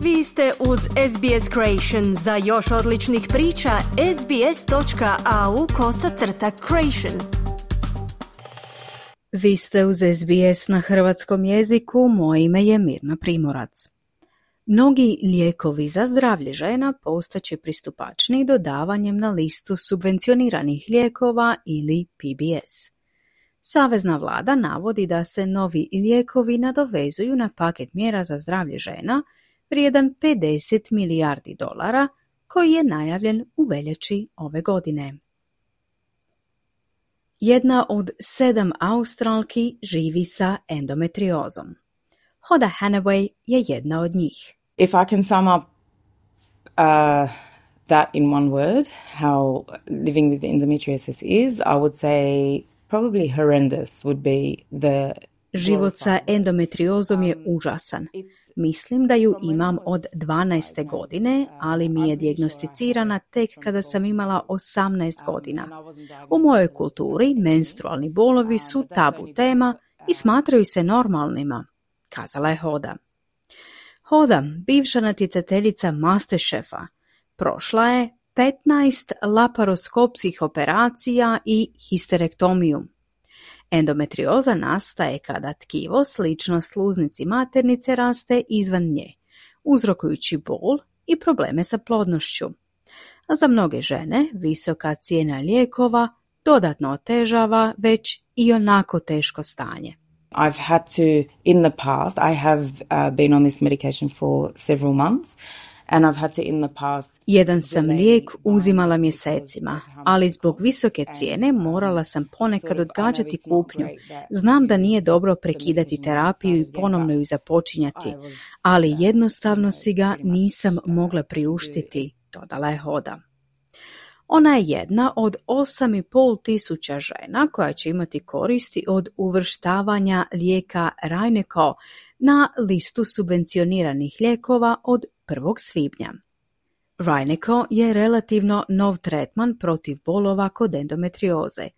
Vi ste uz SBS Creation. Za još odličnih priča, sbs.au/creation. Vi ste uz SBS na hrvatskom jeziku, moje ime je Mirna Primorac. Mnogi lijekovi za zdravlje žena postaće pristupačniji dodavanjem na listu subvencioniranih lijekova ili PBS. Savezna vlada navodi da se novi lijekovi nadovezuju na paket mjera za zdravlje žena vrijedan $50 milijardi koji je najavljen u veljači ove godine. Jedna od 7 Australki živi sa endometriozom. Hoda Hanaway je jedna od njih. If I can sum up that in one word, how living with endometriosis is, I would say probably horrendous would be the... Život sa endometriozom je užasan. Mislim da ju imam od 12. godine, ali mi je dijagnosticirana tek kada sam imala 18 godina. U mojoj kulturi menstrualni bolovi su tabu tema i smatraju se normalnima, kazala je Hoda. Hoda, bivša natjecateljica MasterChefa, prošla je 15 laparoskopskih operacija i histerektomiju. Endometrioza nastaje kada tkivo slično sluznici maternice raste izvan nje, uzrokujući bol i probleme sa plodnošću. A za mnoge žene visoka cijena lijekova dodatno otežava već i onako teško stanje. I've had to, in the past, I have been on this medication for several months. And I've had to in the past... Jedan sam lijek uzimala mjesecima, ali zbog visoke cijene morala sam ponekad odgađati kupnju. Znam da nije dobro prekidati terapiju i ponovno ju započinjati, ali jednostavno si ga nisam mogla priuštiti, dodala je Hoda. Ona je jedna od 8.500 žena koja će imati koristi od uvrštavanja lijeka Rajneko na listu subvencioniranih lijekova od 1. svibnja. Rajneko je relativno nov tretman protiv bolova kod endometrioze,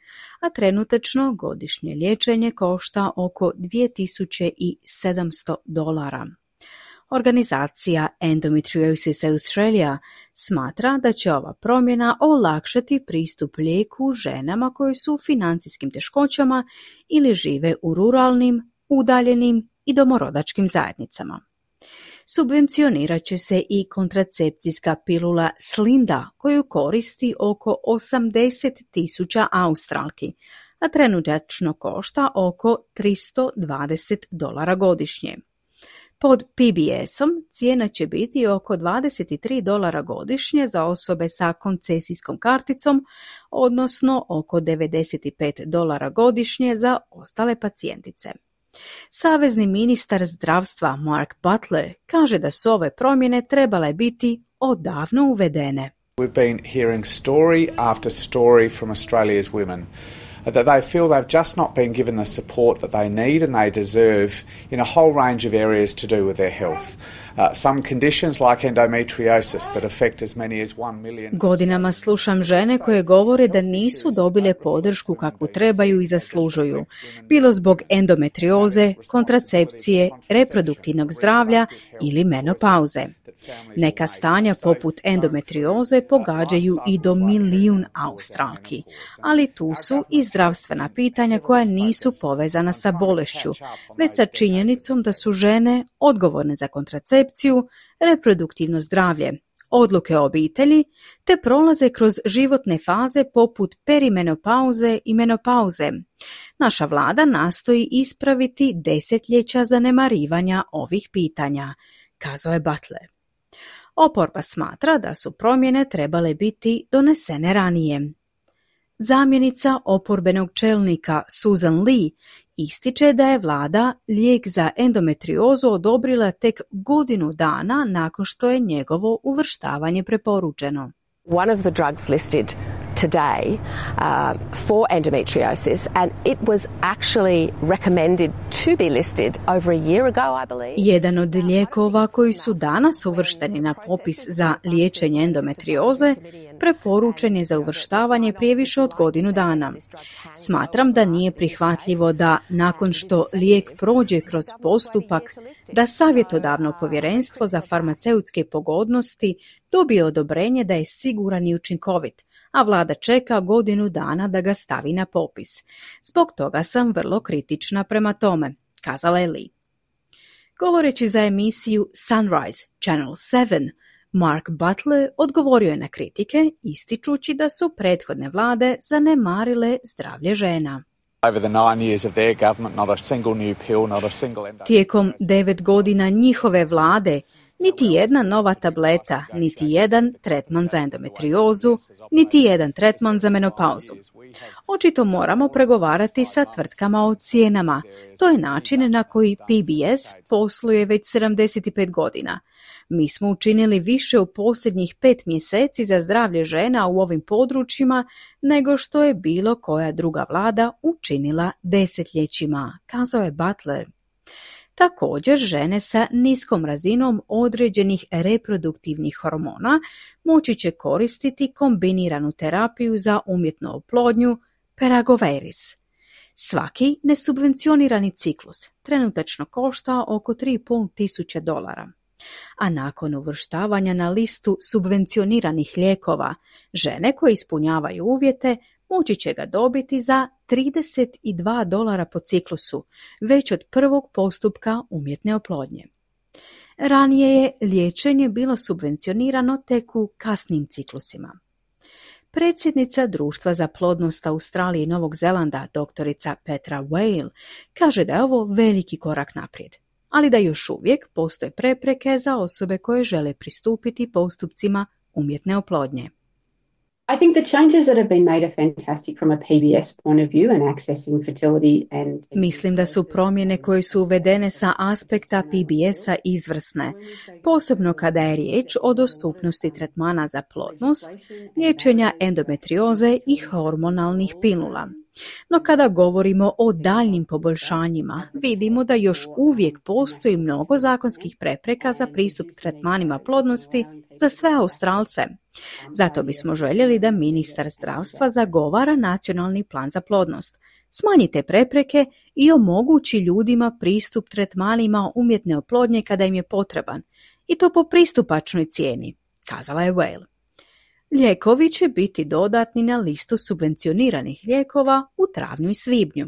a trenutačno godišnje liječenje košta oko $2,700. Organizacija Endometriosis Australia smatra da će ova promjena olakšati pristup lijeku ženama koje su u financijskim teškoćama ili žive u ruralnim, udaljenim i domorodačkim zajednicama. Subvencionirat će se i kontracepcijska pilula Slinda koju koristi oko 80,000 Australki, a trenutačno košta oko $320 godišnje. Pod PBS-om cijena će biti oko $23 godišnje za osobe sa koncesijskom karticom, odnosno oko $95 godišnje za ostale pacijentice. Savezni ministar zdravstva Mark Butler kaže da su ove promjene trebale biti odavno uvedene. We've been hearing story after story from Australia's women that they feel they've just not been given the support that they need and they deserve in a whole range of areas to do with their health. Some conditions like endometriosis that affect as many as 1 million. Godinama slušam žene koje govore da nisu dobile podršku kakvu trebaju i zaslužuju, bilo zbog endometrioze, kontracepcije, reproduktivnog zdravlja ili menopauze. Neka stanja poput endometrioze pogađaju i do 1 milijun Australki, ali tu su i zdravstvena pitanja koja nisu povezana sa bolešću, već sa činjenicom da su žene odgovorne za kontracepciju, reproduktivno zdravlje, odluke o obitelji, te prolaze kroz životne faze poput perimenopauze i menopauze. Naša vlada nastoji ispraviti desetljeća zanemarivanja ovih pitanja, kazao je Butler. Oporba smatra da su promjene trebale biti donesene ranije. Zamjenica oporbenog čelnika Susan Lee ističe da je vlada lijek za endometriozu odobrila tek godinu dana nakon što je njegovo uvrštavanje preporučeno. One of the drugs listed today for endometriosis, and it was actually recommended to be listed over a year ago, I believe. Jedan od lijekova koji su danas uvršteni na popis za liječenje endometrioze preporučen je za uvrštavanje prije više od godinu dana. Smatram da nije prihvatljivo da nakon što lijek prođe kroz postupak da savjetodavno povjerenstvo za farmaceutske pogodnosti dobije odobrenje da je siguran i učinkovit, a vlada čeka godinu dana da ga stavi na popis. Zbog toga sam vrlo kritična prema tome, kazala je Lee. Govoreći za emisiju Sunrise, Channel 7, Mark Butler odgovorio je na kritike, ističući da su prethodne vlade zanemarile zdravlje žena. Tijekom 9 godina njihove vlade niti jedna nova tableta, niti jedan tretman za endometriozu, niti jedan tretman za menopauzu. Očito moramo pregovarati sa tvrtkama o cijenama. To je način na koji PBS posluje već 75 godina. Mi smo učinili više u posljednjih 5 mjeseci za zdravlje žena u ovim područjima nego što je bilo koja druga vlada učinila desetljećima, kazao je Butler. Također, žene sa niskom razinom određenih reproduktivnih hormona moći će koristiti kombiniranu terapiju za umjetnu oplodnju Peragoveris. Svaki nesubvencionirani ciklus trenutačno košta oko $3.500, a nakon uvrštavanja na listu subvencioniranih lijekova, žene koje ispunjavaju uvjete moći će ga dobiti za $32 po ciklusu, već od prvog postupka umjetne oplodnje. Ranije je liječenje bilo subvencionirano tek u kasnim ciklusima. Predsjednica Društva za plodnost Australije i Novog Zelanda, doktorica Petra Whale, kaže da je ovo veliki korak naprijed, ali da još uvijek postoje prepreke za osobe koje žele pristupiti postupcima umjetne oplodnje. I think the changes that have been made are fantastic from a PBS point of view and accessing fertility and... Mislim da su promjene koje su uvedene sa aspekta PBS-a izvrsne, posebno kada je riječ o dostupnosti tretmana za plodnost, liječenja endometrioze i hormonalnih pilula. No kada govorimo o daljnjim poboljšanjima, vidimo da još uvijek postoji mnogo zakonskih prepreka za pristup tretmanima plodnosti za sve Australce. Zato bismo željeli da ministar zdravstva zagovara nacionalni plan za plodnost. Smanji te prepreke i omogući ljudima pristup tretmanima umjetne oplodnje kada im je potreban. I to po pristupačnoj cijeni, kazala je Whale. Lijekovi će biti dodatni na listu subvencioniranih lijekova u travnju i svibnju.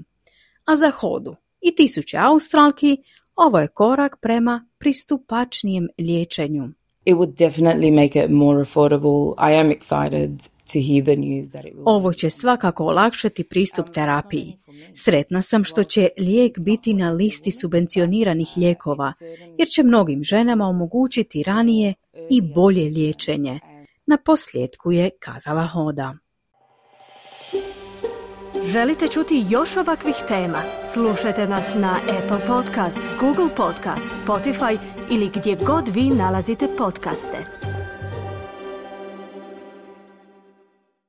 A za Hodu i tisuće Australki ovo je korak prema pristupačnijem liječenju. It would definitely make it more affordable. I am excited to hear the news that it will. Ovo će svakako olakšati pristup terapiji. Sretna sam što će lijek biti na listi subvencioniranih lijekova, jer će mnogim ženama omogućiti ranije i bolje liječenje. Na posljedku je kazala Hoda. Želite čuti još ovakvih tema? Slušajte nas na Apple Podcast, Google Podcast, Spotify ili gdje god vi nalazite podcaste.